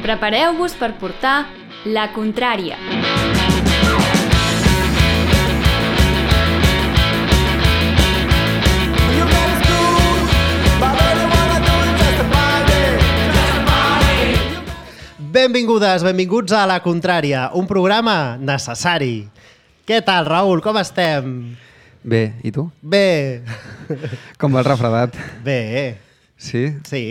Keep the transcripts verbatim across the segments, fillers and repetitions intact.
Prepareu-vos per portar La Contrària. Benvingudes, benvinguts a La Contrària, un programa necessari. Què tal, Raül? Com estem? Bé, i tu? Bé. Com va el refredat? Bé. Sí? Sí.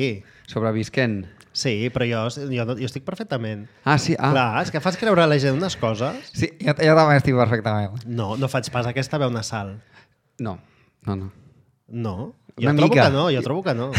Sobrevisquent? Sí, però jo, jo, jo estic perfectament. Ah, sí? Ah. Clar, és que fas creure a la gent unes coses. Sí, jo, jo també estic perfectament. No, no faig pas aquesta veu nasal. No, no, no. No? Jo Una trobo mica. que no, jo trobo que no.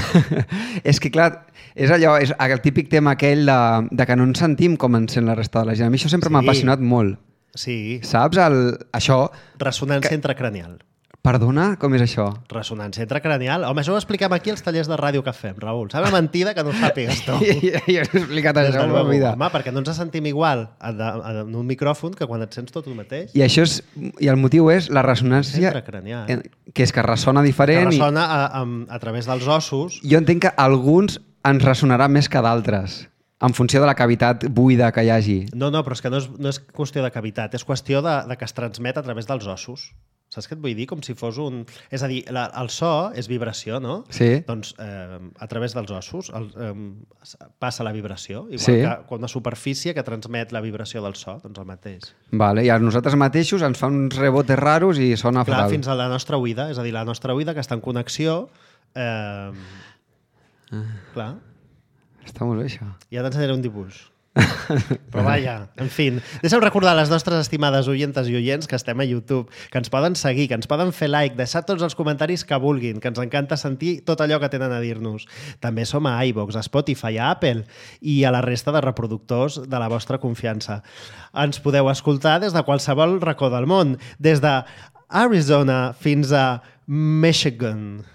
És que, clar, és allò, és el típic tema aquell de, de que no ens sentim com ens sent la resta de la gent. A mi això sempre Sí. m'ha apassionat molt. Sí. Saps? El, això... Ressonància intracranial. Perdona? Com és això? Ressonància intracranial. Home, això ho expliquem aquí als tallers de ràdio que fem, Raül. Sabe mentida que no ho sàpigues tu. Jo he explicat Des això de en la luego. vida. Home, perquè no ens sentim igual en un micròfon que quan et sents tot el mateix. I això és... I el motiu és la ressonància... Intracranial. en- Que és que ressona diferent. Que i- ressona a, a, a través dels ossos. Jo entenc que alguns ens ressonarà més que d'altres, en funció de la cavitat buida que hi hagi. No, no, però és que no és, no és qüestió de cavitat, és qüestió de, de que es transmet a través dels ossos. Saps què et vull dir? Com si fos un... És a dir, la, el so és vibració, no? Sí. Doncs eh, a través dels ossos el, eh, passa la vibració, igual Sí. que quan una superfície que transmet la vibració del so, doncs el mateix. Vale, i a nosaltres mateixos ens fa uns rebotes raros i sona Clar, fatal. fins a la nostra oïda, és a dir, la nostra oïda que està en connexió... Eh, clar, Està molt bé, això. ja t'ensenyaré un dibuix. Però vaja, en fi, deixa'm recordar a les nostres estimades oientes i oients que estem a YouTube, que ens poden seguir, que ens poden fer like, deixar tots els comentaris que vulguin, que ens encanta sentir tot allò que tenen a dir-nos. També som a iVoox, a Spotify, a Apple i a la resta de reproductors de la vostra confiança. Ens podeu escoltar des de qualsevol racó del món, des de Arizona fins a Michigan.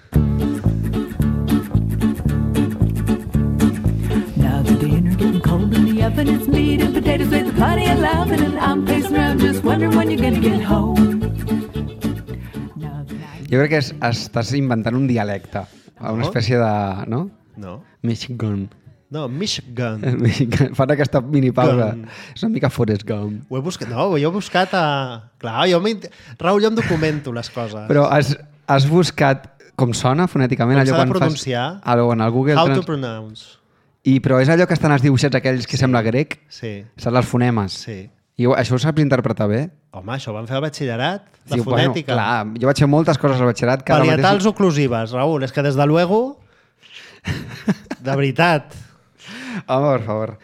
Now the dinner getting cold in the oven. It's meat and potatoes with plenty of loving, and I'm pacing around just wondering when you're gonna get home. Now the night- Jo crec que és, estàs inventant un dialecte, una No? espècie de... No? No? Michigan. No, Michigan. Michigan. Fan aquesta minipausa. Gun. És una mica Forrest Gump. Ho he buscat, no, jo he buscat a... Clar, jo m'int- Raül, jo em documento les coses. Però has, has buscat com sona fonèticament? Com allò s'ha de quan fas- pronunciar? Allò, en el Google How to Trans- pronounce. I, però és allò que estan els dibuixets aquells que sembla grec? Sí, Saps els fonemes? sí. I ho- això ho saps interpretar bé? Home, això ho vam fer al batxillerat, la Sí, fonètica. Bueno, clar, jo vaig fer moltes coses al batxillerat que ara Parietals mateix... oclusives, Raül, és que des de luego... De veritat. Home, per favor.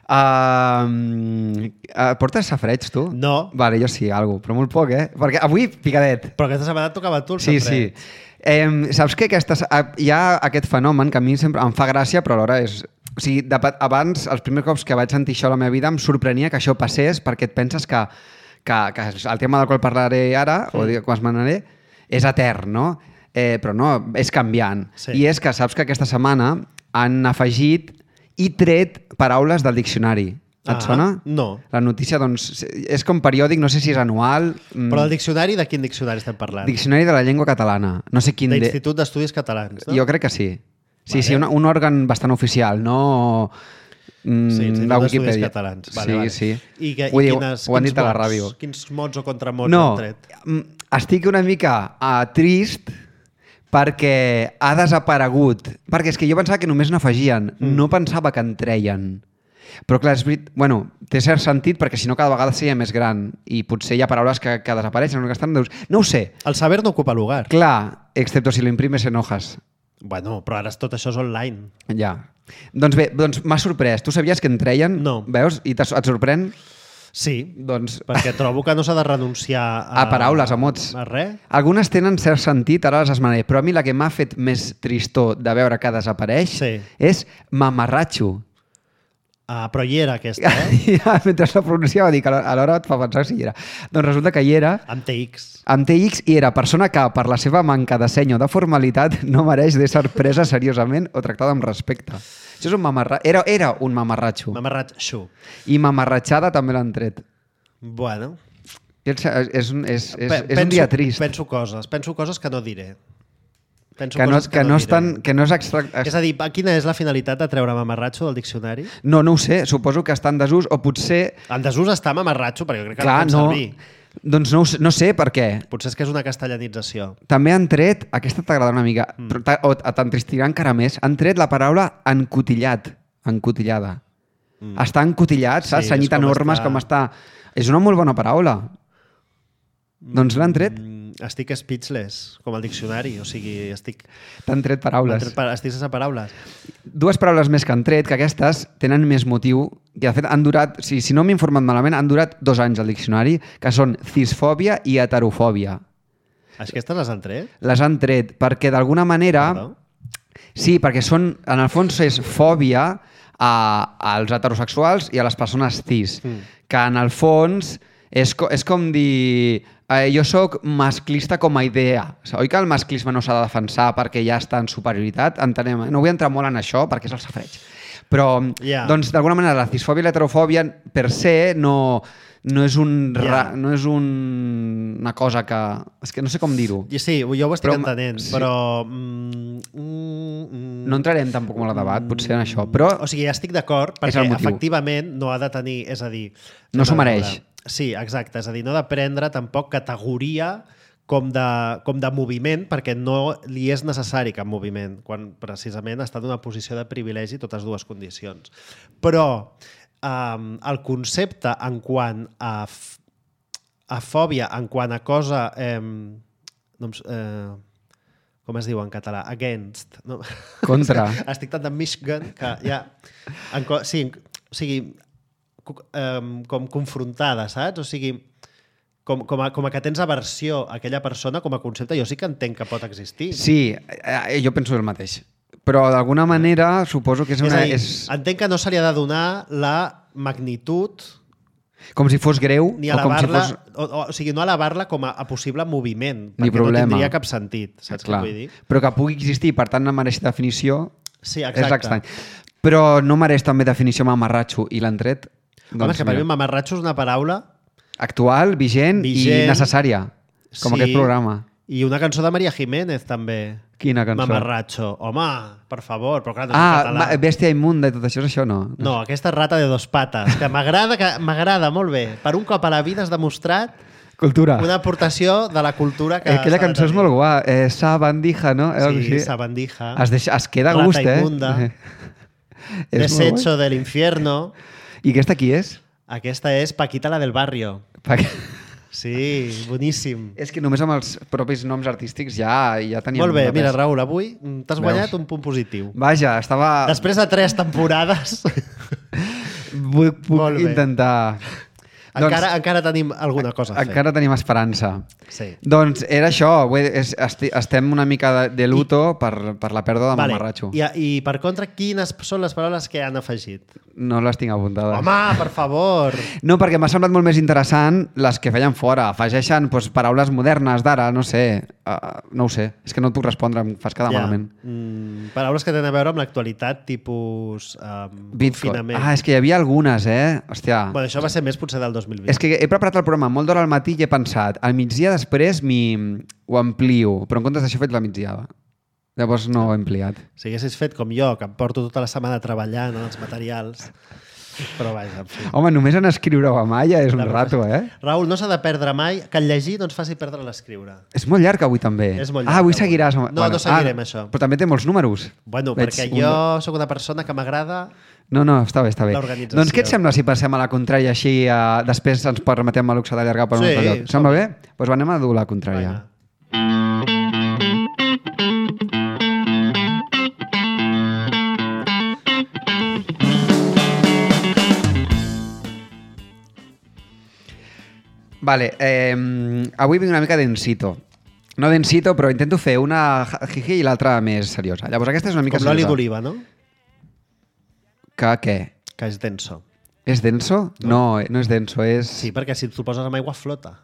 Uh, uh, portes safreig, tu? No. Vale, jo sí, algo, però molt poc, eh? Perquè avui, picadet. Però aquesta setmana et tocava a tu el Sí, safret. sí. Eh, saps que aquestes, hi ha aquest fenomen que a mi sempre em fa gràcia, però alhora és... O sigui, de, abans, els primers cops que vaig sentir això a la meva vida, em sorprenia que això passés perquè et penses que, que, que el tema del qual parlaré ara, mm. o dic, quan esmenaré, és etern, no? Eh, però no, és canviant. Sí. I és que saps que aquesta setmana han afegit i tret paraules del diccionari. Et Ah, sona? no. La notícia, doncs, és com periòdic, no sé si és anual... mm, Però el diccionari, de quin diccionari estem parlant? Diccionari de la llengua catalana. No sé quin... De De... l'Institut d'Estudis Catalans, no? Jo crec que sí. Sí, Vale. sí, un, un òrgan bastant oficial, no mm, Sí, Institut la d'Estudis Wikipedia. Catalans. Vale, sí, vale. sí. I, que, Ho, i diu, quines, ho han quins dit a la mots? ràdio. Quins mots o contramots No, han tret? mm, estic una mica uh, trist perquè ha desaparegut. Perquè és que jo pensava que només n'afegien, mm. no pensava que en treien. Però clar, és verit... bueno, té cert sentit perquè si no cada vegada seria més gran i potser hi ha paraules que, que desapareixen o que estan... No ho sé. El saber no ocupa lugar. Clar, excepto si lo imprimes en hojas. Bueno, però ara tot això és online. Ja. Doncs bé, doncs m'ha sorprès. Tu sabies que en treien? No. Veus? I et sorprèn? Sí, Doncs... perquè trobo que no s'ha de renunciar a... A paraules, a mots. A res. Algunes tenen cert sentit, ara les esmenaré, però a mi la que m'ha fet més tristor de veure que desapareix Sí. és mamarratxo. Ah, però hi era aquesta, eh? Ja, mentre la pronunciava, dic, alhora et fa pensar si hi era. Doncs resulta que hi era, Amb T X. amb T X, i era persona que, per la seva manca de seny o de formalitat, no mereix de ser presa seriosament o tractada amb respecte. Això és un mamarra... Era, era un mamarratxo. Mamarrat xu. I mamarratxada també l'han tret. Bueno. És, és, un- és, és, Pe- és un dia trist. Penso coses, penso coses que no diré. Penso que no, coses que no, no estan, diré. que no és extra... És a dir, quina és la finalitat de treure mamarratxo del diccionari? No, no ho sé, suposo que està en desús o potser... En desús està mamarratxo, perquè jo crec que Clar, no no, pot servir. doncs no, ho sé- no sé per què. Potser és que és una castellanització. També han tret, aquesta t'agradarà una mica, Mm. però t'a- o t'entristirà encara més, han tret la paraula encotillat, encotillada. Mm. Està encotillat, saps? Sí, Senyit és a com normes, està- com està... És una molt bona paraula. Doncs l'han tret. Mm, estic speechless, com el diccionari. O sigui, estic... T'han tret m'han paraules. tret pa- Estic sense paraules. Dues paraules més que han tret, que aquestes tenen més motiu, que de fet han durat, si, si no m'he informat malament, han durat dos anys al diccionari, que són cisfòbia i heterofòbia. Aquestes les han tret? Les han tret perquè d'alguna manera... Perdó? Sí, perquè són, en el fons és fòbia a, als heterosexuals i a les persones cis, Mm. que en el fons és, co, és com dir eh, jo sóc masclista com a idea. Oi que el masclisme no s'ha de defensar perquè ja està en superioritat? Entenem, eh? No vull entrar molt en això perquè és el safreig. Però, Ja. doncs, d'alguna manera, la cisfòbia i l'heterofòbia per se no, no és, un, Ja. ra, no és un, una cosa que... És que no sé com dir-ho. I sí, jo ho estic Però- entenent, sí. però... Mm, mm, mm, No entrarem tampoc molt a debat, potser en això, però... O sigui, estic d'acord, És perquè el motiu. efectivament no ha de tenir... És a dir... No s'ho a veure, mereix. Sí, exacte. És a dir, no ha de prendre tampoc categoria com de, com de moviment, perquè no li és necessari cap moviment, quan precisament està en una posició de privilegi totes dues condicions. Però um, el concepte en quant a, f- a fòbia, en quant a cosa... Eh, no, em s- eh, com es diu en català? Against. No? Contra. Estic tant en Michigan que ja... En, co- sí, o sigui, co- em, com confrontada, saps? O sigui, com, com, a, com a que tens aversió a aquella persona com a concepte, jo sí que entenc que pot existir. Sí, eh, jo penso el mateix. Però d'alguna manera suposo que és és una... a dir, És entenc que no se li ha de donar la magnitud com si fos greu ni o com si elevar-la, fos... o, o, o sigui, no elevar-la com a, a possible moviment, Ni perquè problema. no tindria cap sentit, saps Clar. què vull dir? Però que pugui existir, per tant no mereix definició, Sí, és exacte. estrany. Però no mereix també definició mamarratxo i l'han tret? Home, és que per mira, mi mamarratxo és una paraula actual, vigent, Vigent. i necessària, com Sí. aquest programa. i una cançó de Maria Jiménez també. Quina cançó? Mamarratxo. Home, per favor, però clar, no és en Ah, català. ma- bèstia immunda i tot això, és això no? No, aquesta rata de dos pates, que m'agrada, que m'agrada molt bé. Per un cop a la vida has demostrat Cultura. una aportació de la cultura que Eh, aquella s'ha de cançó és tenir. molt guà. Eh, sabandija, no? Eh, algo Sí, així. sabandija. Es, deixa, es queda a Rata gust, eh? inmunda. És molt Desecho del infierno. guai. I aquesta qui és? Aquesta és Paquita, la del barrio. Perquè... Sí, boníssim. És que només amb els propis noms artístics ja, ja teníem... Molt bé, de mira, pes. Raül, avui t'has Veus? guanyat un punt positiu. Vaja, estava... Després de tres temporades, Vull, puc Molt bé. intentar... encara, encara tenim alguna cosa a fer. Encara tenim esperança. Sí. Doncs era això, vull dir, és, esti, estem una mica de, de luto per, per la pèrdua de Vale. mamarratxo. I, I per contra, quines són les paraules que han afegit? No les tinc apuntades. Home, per favor! No, perquè m'ha semblat molt més interessant les que feien fora. Afegeixen doncs, paraules modernes d'ara, no sé. Uh, no ho sé. És que no et puc respondre, em fas quedar Ja. malament. Mm, paraules que tenen a veure amb l'actualitat, tipus um, Bitcoin. confinament. Ah, és que hi havia algunes, eh? Hòstia. Bueno, això va ser més potser del dos mil vint. És que he preparat el programa molt d'hora al matí i he pensat, al migdia després m'hi ho amplio, però en comptes d'això he fet la migdiada. Llavors no ho he ampliat. Si haguessis fet com jo, que em porto tota la setmana treballant en els materials... Però vaja, en fi. Home, només en escriure o a malla és un La- rato, eh? Raül, no s'ha de perdre mai que el llegir no ens faci perdre l'escriure. És molt llarg avui també. És molt Ah, llarg, avui avui. seguiràs. No, no seguirem, això. Però també té molts números. Bueno, Veig perquè un- jo sóc una persona que m'agrada... No, no, està bé, està bé. L'organització. Doncs què et sembla si passem a la contrària així, eh, després ens permetem el luxe d'allargar per un Sí, altre lloc? som- Sembla bé? Doncs pues anem a dur la contrària. Vinga. Vale, eh, avui vinc una mica densito. No densito, però intento fer una jiji i l'altra més seriosa. Llavors aquesta és una mica Com l'oli seriosa. d'oliva, no? Que què? Que és denso. És denso? No, no, no és denso, és... Sí, perquè si t'ho poses amb aigua flota.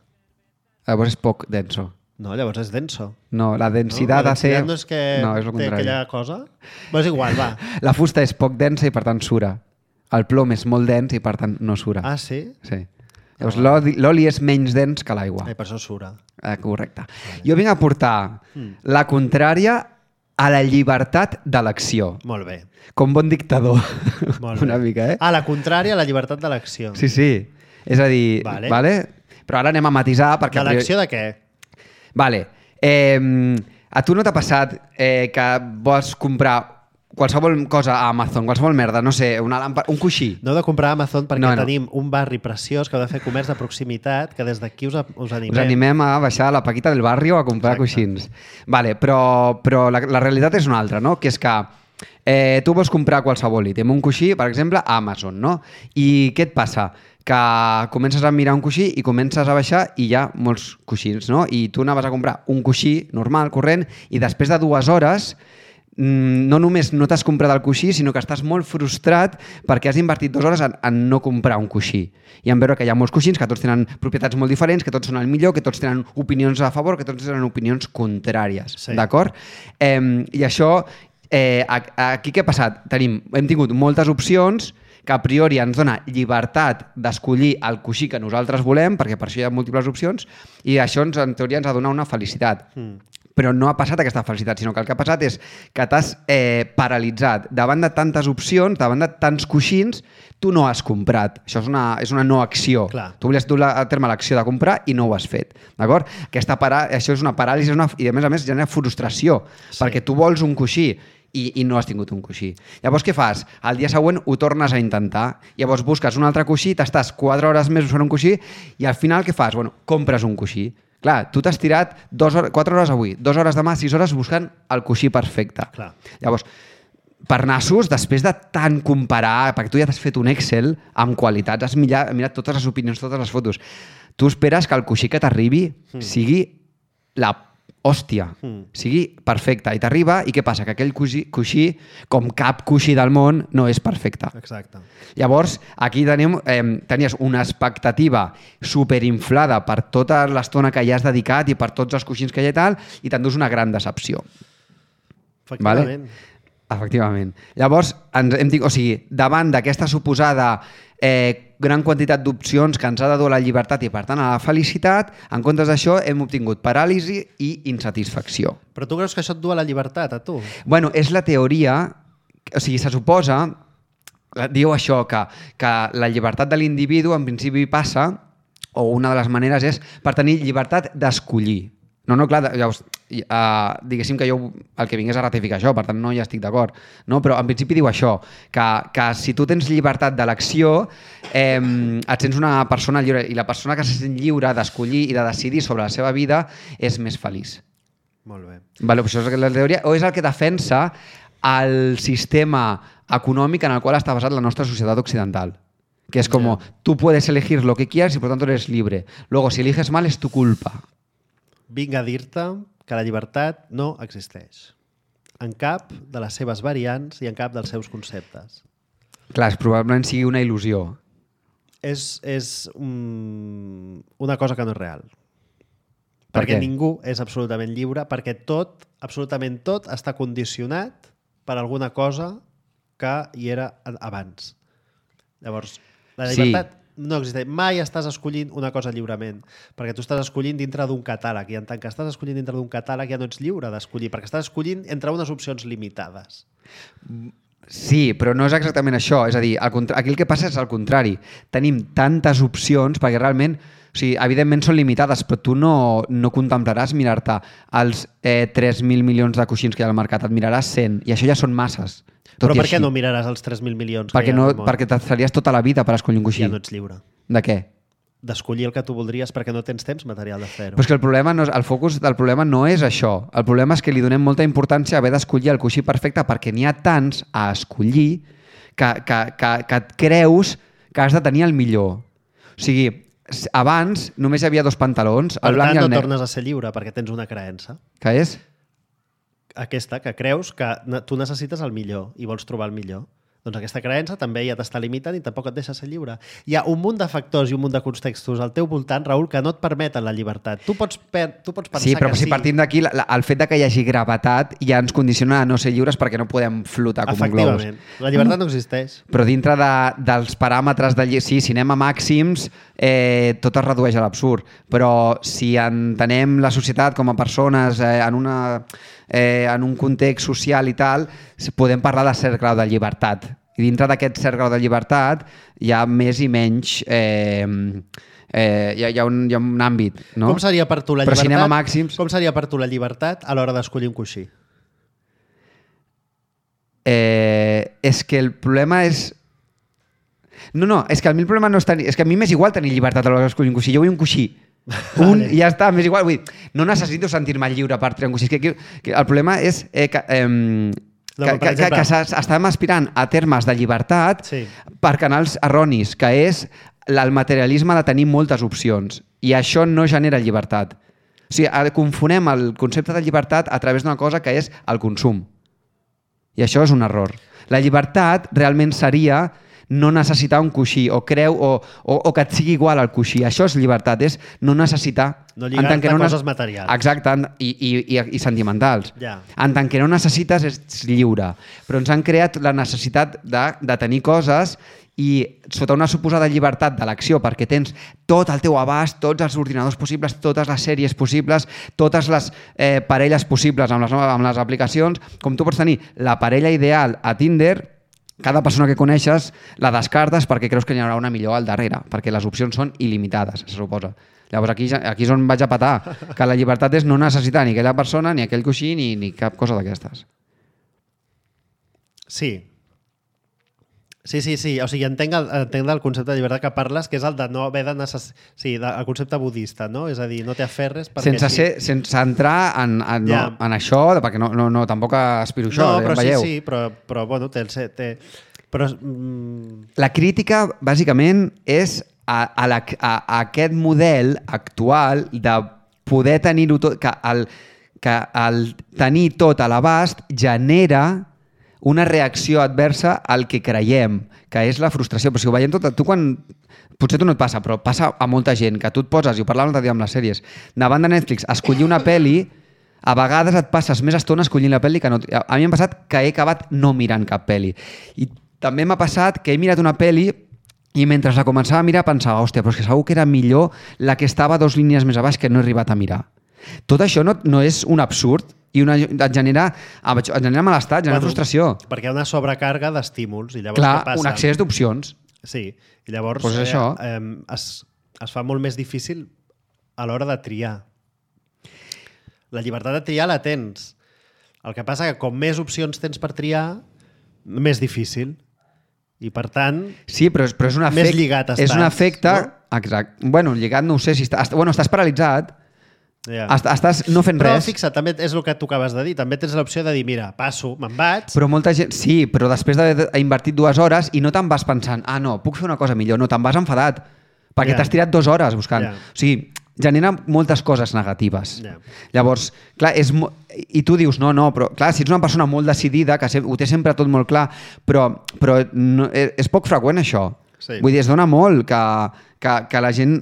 Llavors és poc denso. No, llavors és denso. No, la No? densitat La ha de ser... densitat no és que no, és el té contrari. aquella cosa? Però és igual, va. La fusta és poc densa i per tant sura. El plom és molt dens i per tant no sura. Ah, sí? Sí. Llavors l'oli l'oli és menys dens que l'aigua. Ai, per això sura. Eh, correcte. Jo vinc a portar Mm. la contrària a la llibertat d'elecció. Molt bé. Com bon dictador. Molt bé. Una mica, eh? A la contrària, la llibertat d'elecció. Sí, sí. És a dir... Vale. Vale? Però ara anem a matisar perquè... De l'elecció de què? Vale. Eh, a tu no t'ha passat eh, que vols comprar qualsevol cosa a Amazon, qualsevol merda, no sé, una làmpada, un coixí? No heu de comprar a Amazon perquè No, no. tenim un barri preciós que heu de fer comerç de proximitat, que des d'aquí us, us animem. Us animem a baixar a la Paquita del barrio a comprar Exacte. coixins. Vale, però, però la, la realitat és una altra, no? Que és que eh, tu vols comprar qualsevol ítem, un coixí, per exemple, a Amazon, no? I què et passa? Que comences a mirar un coixí i comences a baixar i hi ha molts coixins, no? I tu anaves a comprar un coixí normal, corrent, i després de dues hores no només no t'has comprat el coixí, sinó que estàs molt frustrat perquè has invertit dues hores en, en no comprar un coixí. I en veure que hi ha molts coixins, que tots tenen propietats molt diferents, que tots són el millor, que tots tenen opinions a favor, que tots tenen opinions contràries. Sí. D'acord? Eh, I això, eh, aquí què ha passat? Tenim, hem tingut moltes opcions que a priori ens dona llibertat d'escollir el coixí que nosaltres volem, perquè per això hi ha múltiples opcions, i això ens, en teoria ens ha de donar una felicitat. Mm. Però no ha passat aquesta felicitat, sinó que el que ha passat és que t'has eh, paralitzat davant de tantes opcions, davant de tants coixins, tu no has comprat. Això és una, és una no acció. Clar. Tu volies dur a terme l'acció de comprar i no ho has fet. D'acord? Aquesta para... Això és una paràlisi una... i a més a més genera frustració, Sí. perquè tu vols un coixí i, i no has tingut un coixí. Llavors què fas? El dia següent ho tornes a intentar. Llavors busques un altre coixí, t'estàs quatre hores més buscant un coixí i al final què fas? Bueno, compres un coixí. Clar, tu t'has tirat dos hores, quatre hores avui, dues hores demà, sis hores buscant el coixí perfecte. Clar. Llavors, per nassos, després de tant comparar, perquè tu ja t'has fet un Excel amb qualitats, has mirat, mirat totes les opinions, totes les fotos, tu esperes que el coixí que t'arribi mm. sigui la hòstia, mm. sigui perfecte. I t'arriba, i què passa? Que aquell coixí, coixí, com cap coixí del món, no és perfecte. Exacte. Llavors, aquí tenim, eh, tenies una expectativa superinflada per tota l'estona que hi has dedicat i per tots els coixins que hi ha i tal, i t'endús una gran decepció. Efectivament. Vale? Efectivament. Llavors, ens hem dit, o sigui, davant d'aquesta suposada eh, gran quantitat d'opcions que ens ha de dur la llibertat i, per tant, a la felicitat, en comptes d'això hem obtingut paràlisi i insatisfacció. Però tu creus que això et du a la llibertat, a tu? Bueno, és la teoria, o sigui, se suposa, diu això, que, que la llibertat de l'individu en principi passa, o una de les maneres és per tenir llibertat d'escollir. No, no, clar, llavors, uh, diguéssim que jo el que vingués a ratificar això, per tant no hi estic d'acord, no? Però en principi diu això, que, que si tu tens llibertat d'elecció, eh, et sents una persona lliure, i la persona que se sent lliure d'escollir i de decidir sobre la seva vida és més feliç. Molt bé. Vale, això és la teoria, o és el que defensa el sistema econòmic en el qual està basat la nostra societat occidental. Que es como, yeah. tú puedes elegir lo que quieras y por tanto eres libre. Luego, si eliges mal, es tu culpa. Vinc a dir-te que la llibertat no existeix. En cap de les seves variants i en cap dels seus conceptes. Clar, probablement sigui una il·lusió. És, és um, una cosa que no és real. Per perquè què? ningú és absolutament lliure, perquè tot, absolutament tot, està condicionat per alguna cosa que hi era abans. Llavors, la llibertat sí. no existeix. Mai estàs escollint una cosa lliurement, perquè tu estàs escollint dintre d'un catàleg, i en tant que estàs escollint dintre d'un catàleg ja no ets lliure d'escollir, perquè estàs escollint entre unes opcions limitades. Sí, però no és exactament això. És a dir, el contra... aquí el que passa és el contrari. Tenim tantes opcions perquè realment, o sigui, evidentment són limitades, però tu no, no contemplaràs mirar-te els eh, tres mil milions de coixins que hi ha al mercat, et miraràs cent, i això ja són masses. Però per així. què no miraràs els tres mil milions perquè que hi ha no, al món? perquè t'estaries tota la vida per escollir un coixí. Ja no ets lliure. De què? D'escollir el que tu voldries perquè no tens temps material de fer-ho. Però és que el, problema no és, el focus del problema no és això. El problema és que li donem molta importància a haver d'escollir el coixí perfecte perquè n'hi ha tants a escollir que, que, que, que et creus que has de tenir el millor. O sigui, abans només hi havia dos pantalons, Per el blanc tant, i el no negre. tornes a ser lliure perquè tens una creença. Què és? Aquesta, que creus que tu necessites el millor i vols trobar el millor. Doncs aquesta creença també ja t'està limitant i tampoc et deixa ser lliure. Hi ha un munt de factors i un munt de contextos al teu voltant, Raül, que no et permeten la llibertat. Tu pots, per, tu pots pensar sí, però que si sí. partim d'aquí, la- la- el fet de que hi hagi gravetat ja ens condiciona a no ser lliures perquè no podem flotar com un globus. Efectivament. La llibertat no existeix. Però dintre de, dels paràmetres de... lli- Sí, si anem a màxims, eh, tot es redueix a l'absurd. Però si entenem la societat com a persones eh, en una eh, en un context social i tal, podem parlar de cert grau de llibertat. I dintre d'aquest cert grau de llibertat hi ha més i menys... Eh, eh, hi, ha, hi, ha un, hi ha un àmbit, no? Com seria per tu la Però llibertat? si anem a màxims... Com seria per tu la llibertat a l'hora d'escollir un coixí? Eh, és que el problema és... No, no, és que a mi el problema no és tenir... És que a mi m'és igual tenir llibertat a l'hora d'escollir un coixí. Jo vull un coixí. Un i ja està, m'és igual. Vull dir, no necessito sentir-me lliure per triar un coixí. És que, que el problema és eh, que... Eh, No, que, que, exemple... que, que estem aspirant a termes de llibertat sí. per canals erronis, que és el materialisme de tenir moltes opcions. I això no genera llibertat. O sigui, confonem el concepte de llibertat a través d'una cosa que és el consum. I això és un error. La llibertat realment seria no necessitar un coixí o creu o, o, o que et sigui igual al coixí. Això és llibertat, és no necessitar... No lligar-te a no coses materials. Exacte, i, i, i, i sentimentals. Ja. En tant que no necessites, ets lliure. Però ens han creat la necessitat de, de tenir coses i sota una suposada llibertat de l'acció, perquè tens tot el teu abast, tots els ordinadors possibles, totes les sèries possibles, totes les eh, parelles possibles amb les, amb les aplicacions, com tu pots tenir la parella ideal a Tinder, cada persona que coneixes la descartes perquè creus que hi haurà una millor al darrere, perquè les opcions són il·limitades, se suposa. Llavors aquí, aquí és on vaig a patar, que la llibertat és no necessitar ni aquella persona, ni aquell coixí, ni, ni cap cosa d'aquestes. Sí. Sí, sí, sí. O sigui, entenc el, entenc el concepte de llibertat que parles, que és el de no haver de necessitar... Sí, de, el concepte budista, no? És a dir, no t'aferres perquè... Sense, sí. ser, sense entrar en, en, ja. no, en això, perquè no, no, no, tampoc aspiro això, no, però ja veieu. sí, sí, però, però bueno, té... el, té però, mm... La crítica, bàsicament, és a, a, la, a, a aquest model actual de poder tenir-ho tot, que el, que el tenir tot a l'abast genera una reacció adversa al que creiem, que és la frustració. Però si ho veiem tot, tu quan... Potser tu no et passa, però passa a molta gent, que tu et poses, i ho parlàvem l'altre dia amb les sèries, davant de Netflix, escollir una pel·li, a vegades et passes més estona escollint la pel·li que no... A mi m'ha passat que he acabat no mirant cap pel·li. I també m'ha passat que he mirat una pel·li i mentre la començava a mirar pensava, hòstia, però és que segur que era millor la que estava dos línies més a baix que no he arribat a mirar. Tot això no, no és un absurd i una, et genera, et genera malestar, et genera bueno, frustració. Perquè hi ha una sobrecàrga d'estímuls. I llavors clar, què passa? Un excés d'opcions. Sí, i llavors pues eh, això. eh, es, es fa molt més difícil a l'hora de triar. La llibertat de triar la tens. El que passa que com més opcions tens per triar, més difícil. I per tant, sí, però és, però és un efecte, més lligat estàs. És un efecte... No? Exacte. Bueno, lligat no ho sé si... Està, bueno, estàs paralitzat. Yeah. Estàs no fent però, res. Però fixa, també és el que tu acabes de dir. També tens l'opció de dir, mira, passo, me'n vaig... Però molta gent... Sí, però després d'haver invertit dues hores i no te'n vas pensant, ah, no, puc fer una cosa millor. No, te'n vas enfadat. Perquè yeah. t'has tirat dues hores buscant. Yeah. O sigui, genera moltes coses negatives. Yeah. Llavors, clar, és... Mo... I tu dius, no, no, però clar, si ets una persona molt decidida, que ho té sempre tot molt clar, però, però no, és poc freqüent això. Sí. Vull dir, es dona molt que, que, que la gent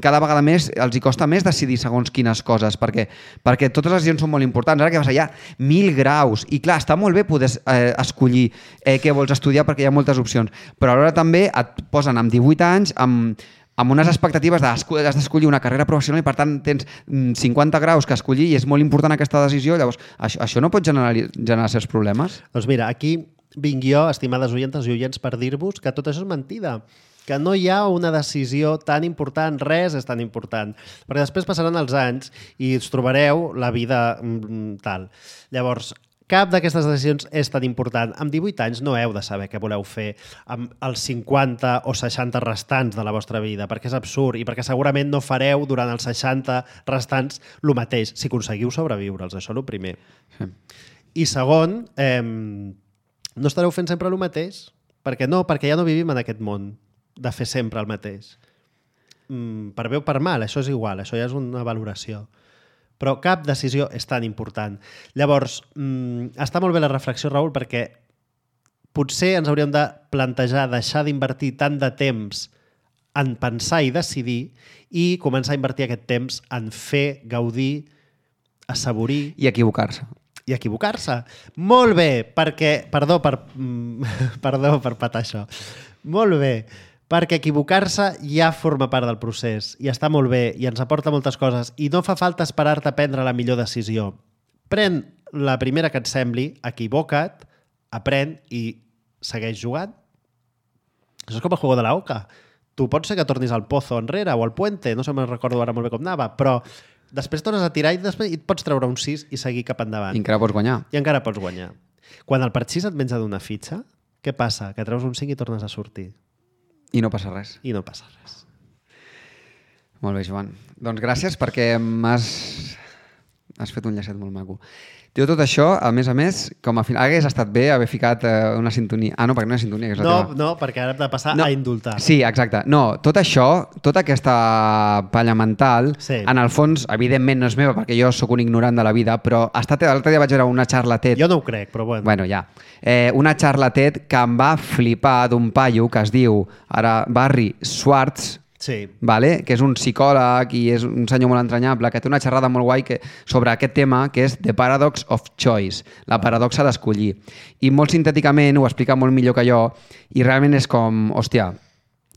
cada vegada més els hi costa més decidir segons quines coses, perquè, perquè totes les decisions són molt importants. Ara què passa? Hi ha mil graus i clar, està molt bé poder eh, escollir eh, què vols estudiar perquè hi ha moltes opcions, però alhora també et posen amb divuit anys amb, amb unes expectatives de has d'escollir una carrera professional i per tant tens cinquanta graus que escollir i és molt important aquesta decisió. Llavors, això, això no pot generar, generar certs problemes? Doncs mira, aquí vinc jo, estimades oyentes i oients, per dir-vos que tot això és mentida, que no hi ha una decisió tan important, res és tan important, perquè després passaran els anys i us trobareu la vida mm, tal. Llavors, cap d'aquestes decisions és tan important. Amb divuit anys no heu de saber què voleu fer amb els cinquanta o seixanta restants de la vostra vida, perquè és absurd i perquè segurament no fareu durant els seixanta restants el mateix, si aconseguiu sobreviure'ls, això és el primer. Sí. I segon, eh, no estareu fent sempre el mateix, perquè no, perquè ja no vivim en aquest món de fer sempre el mateix. Mm, per bé o per mal, això és igual, això ja és una valoració. Però cap decisió és tan important. Llavors, mm, està molt bé la reflexió, Raül, perquè potser ens hauríem de plantejar deixar d'invertir tant de temps en pensar i decidir i començar a invertir aquest temps en fer, gaudir, assaborir... I equivocar-se. I equivocar-se. Molt bé, perquè... Perdó per, perdó per patar això. Molt bé, perquè equivocar-se ja forma part del procés i està molt bé i ens aporta moltes coses i no fa falta esperar-te a prendre la millor decisió. Pren la primera que et sembli, equivoca't, aprèn i segueix jugant. Això és com el juego de la oca. Tu pots ser que tornis al pozo enrere o al puente, no sé, me'n recordo ara molt bé com anava, però després tornes a tirar i després et pots treure un sis i seguir cap endavant. I encara pots guanyar. I encara pots guanyar. Quan el part sis et menja d'una fitxa, què passa? Que treus un cinc i tornes a sortir. I no passa res. I no passa res. Molt bé, Joan. Doncs gràcies perquè m'has has fet un llacet molt maco. Diu tot això, a més a més, com a final hagués estat bé haver ficat eh, una sintonia. Ah, no, perquè no hi ha sintonia, que és la No, teva. no, perquè ara hem de passar No. a indultar. Sí, exacte. No, tot això, tota aquesta palla mental, Sí. en el fons, evidentment no és meva perquè jo sóc un ignorant de la vida, però ha estat, l'altre dia vaig veure una xarla TED. Jo no ho crec, però bueno. Bueno, ja. Eh, una xarla TED que em va flipar d'un paio que es diu ara Barry Schwartz, Sí. vale? Que és un psicòleg i és un senyor molt entranyable, que té una xerrada molt guai que, sobre aquest tema, que és The Paradox of Choice, la paradoxa d'escollir. I molt sintèticament ho explica molt millor que jo i realment és com, hòstia,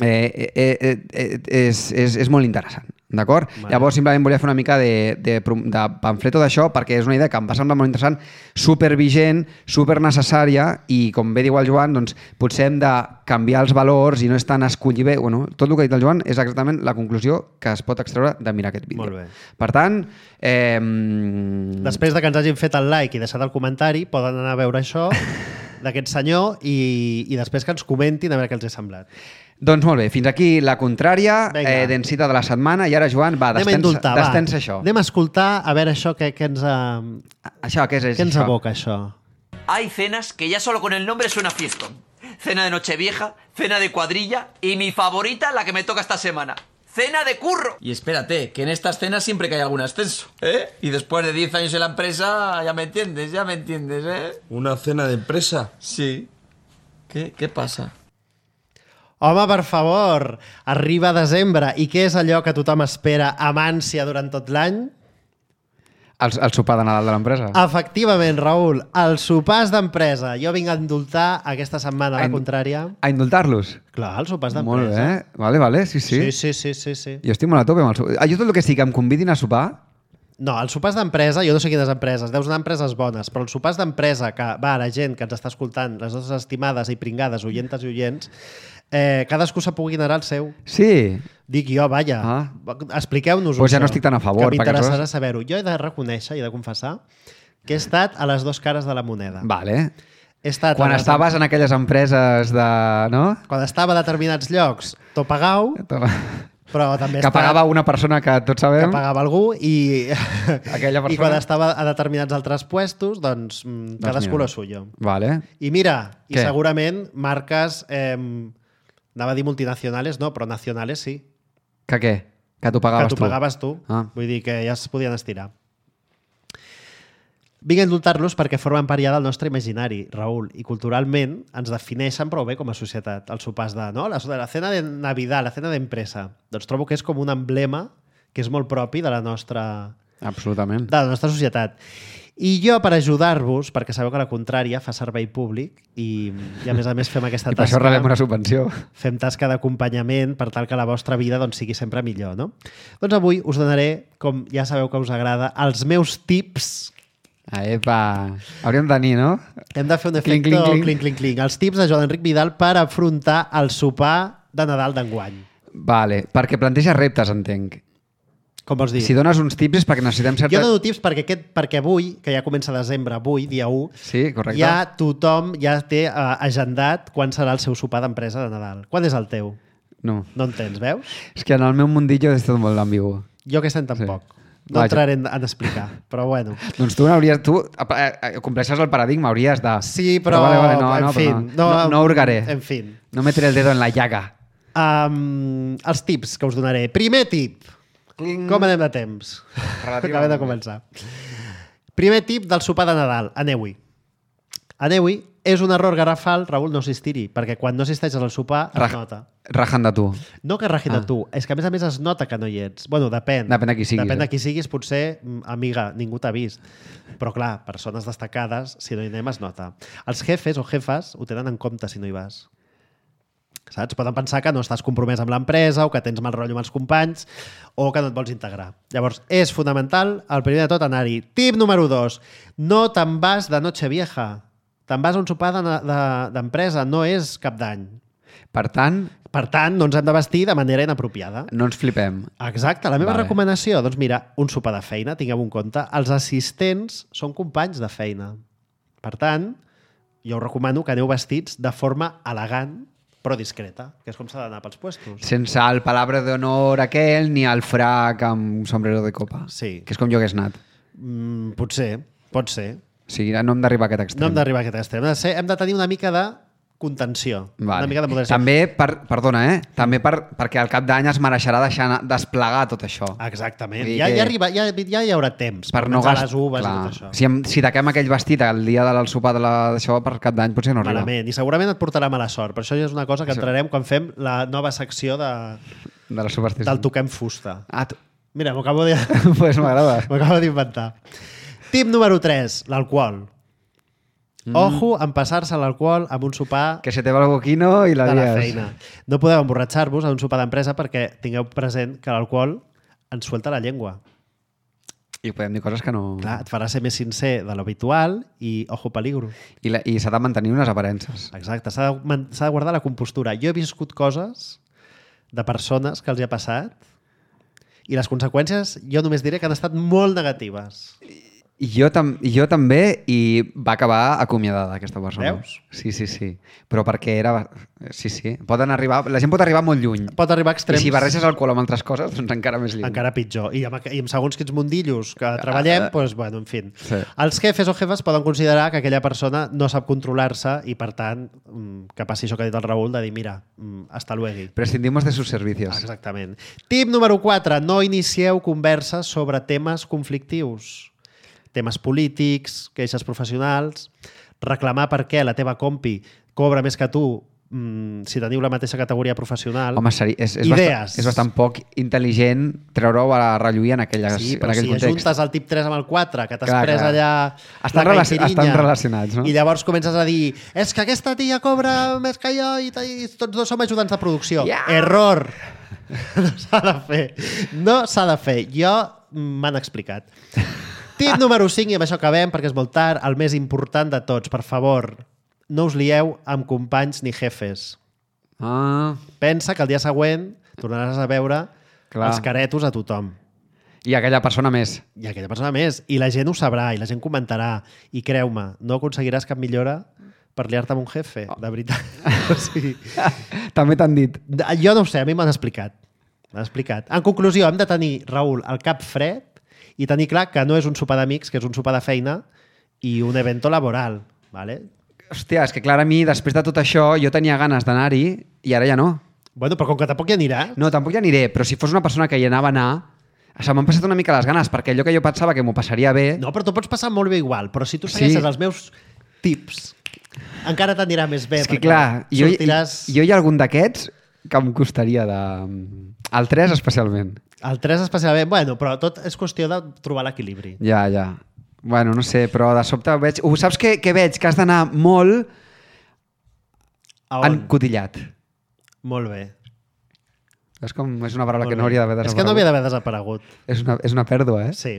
eh, eh, eh, eh, és, és, és molt interessant. D'acord? Vale. Llavors simplement volia fer una mica de, de, de pamfleto d'això perquè és una idea que em va semblar molt interessant, supervigent, supernecessària i com bé diu el Joan, doncs potser hem de canviar els valors i no és tant escollir bé. Bueno, tot el que ha dit el Joan és exactament la conclusió que es pot extreure de mirar aquest vídeo. Molt bé. Per tant, eh, Després de que ens hagin fet el like i deixat el comentari, poden anar a veure això d'aquest senyor i, i després que ens comentin a veure què els ha semblat. doncs molt bé, fins aquí la contrària Vinga. eh, d'encita de la setmana i ara, Joan, va, Anem a destensa, indultar, va. destensa això. Anem a escoltar a veure això que, que ens, ha, Això, què és, és què ens això? aboca, això. Hay cenas que ya solo con el nombre suena fiestón. Cena de Nochevieja, cena de cuadrilla y mi favorita, la que me toca esta semana. ¡Cena de curro! Y espérate, que en estas cenas siempre que hay algún ascenso, ¿eh? Y después de diez años en la empresa, ya me entiendes, ya me entiendes, ¿eh? ¿Una cena de empresa? Sí. ¿Qué? ¿Qué pasa? Home, per favor, arriba desembre i què és allò que tothom espera amb ànsia durant tot l'any? El, el sopar de Nadal de l'empresa. Efectivament, Raül, els sopars d'empresa. Jo vinc a indultar aquesta setmana, a la A in- contrària. A indultar-los. Clar, els sopars Molt d'empresa. bé. Vale, vale, sí, sí. Sí, sí, sí, sí, sí. Jo estic molt a tope amb el sopar. Ah, jo tot el que sí que em convidin a sopar... No, els sopars d'empresa, jo no sé quines empreses, deus anar a empreses bones, però els sopars d'empresa que va a la gent que ens està escoltant, les nostres estimades i pringades, oyentes i oients, eh, cadascú se pugui anar al seu. Sí. Dic jo, vaja, Ah. expliqueu-nos-ho. Pues ja no això, estic tan a favor, Que perquè m'interessarà aleshores- saber-ho. Jo he de reconèixer i he de confessar que he estat a les dues cares de la moneda. Vale. He estat Quan a les- estaves en aquelles empreses de... No? Quan estava a determinats llocs, t'ho pagau, però també he Que estat- pagava una persona que tots que sabem. pagava algú i, Aquella i persona. quan estava a determinats altres puestos, doncs, mm, cadascú mira. lo suyo. Vale. I mira, i Què? segurament marques, eh, anava a dir multinacionales, no, però nacionales sí, Que què? Que t'ho que pagaves t'ho tu. pagaves tu. Ah. Vull dir que ja es podien estirar. Vinc a indultar-los perquè formen part ja del nostre imaginari, Raül, i culturalment ens defineixen prou bé com a societat. Els sopars de, no? La, la cena de Navidad, la cena d'empresa. Doncs trobo que és com un emblema que és molt propi de la nostra, Absolutament. de la nostra societat. I jo, per ajudar-vos, perquè sabeu que la contrària fa servei públic i, i a més a més fem aquesta I per això tasca, rebem una subvenció. fem tasca d'acompanyament per tal que la vostra vida doncs, sigui sempre millor. No? Doncs avui us donaré, com ja sabeu que us agrada, els meus tips. Ah, epa. Hauríem de tenir, no? Hem de fer un Clinc, efecte clinc, clinc. clinc, clinc, clinc. Els tips de Joan Enric Vidal per afrontar el sopar de Nadal d'enguany. Vale, perquè planteja reptes, entenc. Com vols dir? Si dones uns tips és perquè necessitem certa... Jo dono tips perquè, aquest, perquè avui, que ja comença desembre, avui, dia u, Sí, correcte. ja tothom ja té uh, agendat quan serà el seu sopar d'empresa de Nadal. Quan és el teu? No. No entens, veus? És que en el meu mundillo és tot molt ambigu. Jo que sent tampoc. Sí. No Vaja. entraré en, en explicar, però bueno. Doncs tu hauries... Tu eh, eh, compleixes el paradigma, hauries de... Sí, però, vale, vale, no, en no, fi, però no, no, no hurgaré. En fi. No metré el dedo en la llaga. Um, els tips que us donaré. Primer tip. Cling. Com anem de temps? Relativament. Acabem de començar. Primer tip del sopar de Nadal. Aneu-hi. Aneu-hi. És un error garrafal, Raül, no assistir-hi, perquè quan no assisteixes al sopar es Raj- nota. Rajan de tu. No que rajin Ah. de tu, és que a més a més es nota que no hi ets. Bueno, depèn. Depèn de qui siguis, Depèn eh? de qui siguis, potser, mm, amiga, ningú t'ha vist. Però clar, persones destacades, si no hi anem es nota. Els jefes o jefes ho tenen en compte si no hi vas. Saps? Poden pensar que no estàs compromès amb l'empresa o que tens mal rotllo amb els companys o que no et vols integrar. Llavors, és fonamental, el primer de tot, anar-hi. Tip número dos. No te'n vas de noche vieja. Te'n vas a un sopar d'empresa, de, de, no és cap d'any. Per tant... Per tant, no ens hem de vestir de manera inapropiada. No ens flipem. Exacte. La meva Vale. recomanació, doncs mira, un sopar de feina, tingueu en compte, els assistents són companys de feina. Per tant, jo us recomano que aneu vestits de forma elegant, però discreta, que és com s'ha d'anar pels puestos. Sense el palabra d'honor aquell ni el frac amb sombrero de copa. Sí. Que és com jo hagués anat. Mm, potser, pot ser. O sigui, no hem d'arribar a aquest extrem. No hem d'arribar a aquest extrem. Hem de, ser, hem de tenir una mica de contenció. Vale. Una mica de moderació. També, per, perdona, eh? També per, perquè al cap d'any es mereixerà deixar anar, desplegar tot això. Exactament. Vull dir Ja, que- ja, arriba, ja, ja hi haurà temps Per per no menjar gast... les uves Clar. i tot això. Si, em, si taquem aquell vestit el dia del sopar de la- d'això per cap d'any, potser no arriba. Malament. I segurament et portarà mala sort. Per això ja és una cosa que Això. entrarem quan fem la nova secció de, De la superstició. del toquem fusta. Ah, tu... Mira, m'ho acabo de- pues m'agrada. m'ho acabo d'inventar. Tip número tres, l'alcohol. Mm. Ojo en passar-se l'alcohol amb un sopar Que se te va el boquino i la de la lies. feina. No podeu emborratxar-vos en un sopar d'empresa perquè tingueu present que l'alcohol ens suelta la llengua. I podem dir coses que no... Clar, et farà ser més sincer de l'habitual i ojo peligro. I, la, i s'ha de mantenir unes aparences. Exacte, s'ha de, man- s'ha de guardar la compostura. Jo he viscut coses de persones que els hi ha passat i les conseqüències jo només diré que han estat molt negatives. I jo, tam I jo també, i va acabar acomiadada aquesta persona. Veus? Sí, sí, sí. Però perquè era... Sí, sí. Poden arribar... La gent pot arribar molt lluny. Pot arribar a extrems I si barreges alcohol amb altres coses, doncs encara més lluny. encara pitjor. I amb, I amb segons quins mundillos que treballem, Ah, doncs, bueno, en fi. sí. Els jefes o jefes poden considerar que aquella persona no sap controlar-se i, per tant, mm, que passi això que ha dit el Raül, de dir, mira, mm, hasta luego. Prescindimos de sus servicios. Exactament. Tip número quatre. No inicieu converses sobre temes conflictius. Temes polítics, queixes professionals, reclamar per què la teva compi cobra més que tu mmm, si teniu la mateixa categoria professional. Home, seri... és, és, Idees. bastant, és bastant poc intel·ligent treure-ho a relluir en, aquelles, Sí, en però aquell si context. ajuntes el tip tres amb el quatre, que t'has Clar, pres clar. allà Estan la relaci- caipirinha, estan relacionats, no? I llavors comences a dir és que aquesta tia cobra més que jo i, i tots dos som ajudants de producció. Ja. Error! No s'ha de fer. No s'ha de fer. Jo m'han explicat. Tip número cinc, i amb això acabem, perquè és molt tard, el més important de tots. Per favor, no us lieu amb companys ni jefes. Ah, Pensa que el dia següent tornaràs a veure Clar. els caretos a tothom. i aquella persona més. I aquella persona més. I la gent ho sabrà, i la gent comentarà. I creu-me, no aconseguiràs cap millora per liar-te amb un jefe, de veritat. O sigui, També t'han dit. jo no ho sé, a mi m'han explicat. M'han explicat. En conclusió, hem de tenir, Raül, el cap fred i tenir clar que no és un sopar d'amics, que és un sopar de feina i un evento laboral. ¿Vale? Hòstia, és que clar, a mi, després de tot això, jo tenia ganes d'anar-hi i ara ja no. Bueno, però com que tampoc hi anirà... No, tampoc hi aniré, però si fos una persona que hi anava a anar, se m'han passat una mica les ganes, perquè allò que jo pensava que m'ho passaria bé... No, però t'ho pots passar molt bé igual. Però si tu segueixes Sí. els meus tips, encara t'anirà més bé. És que perquè clar, jo, sortiràs... jo hi ha algun d'aquests que em costaria de... El tres especialment. El tres especialment... Bueno, però tot és qüestió de trobar l'equilibri. Ja, ja. Bueno, no sé, però de sobte veig... Uh, saps què, què veig? Que has d'anar molt A on? encotillat. Molt bé. És com... És una paraula Molt que bé. no hauria d'haver És desaparegut. que no havia d'haver desaparegut. És una, és una pèrdua, eh? Sí.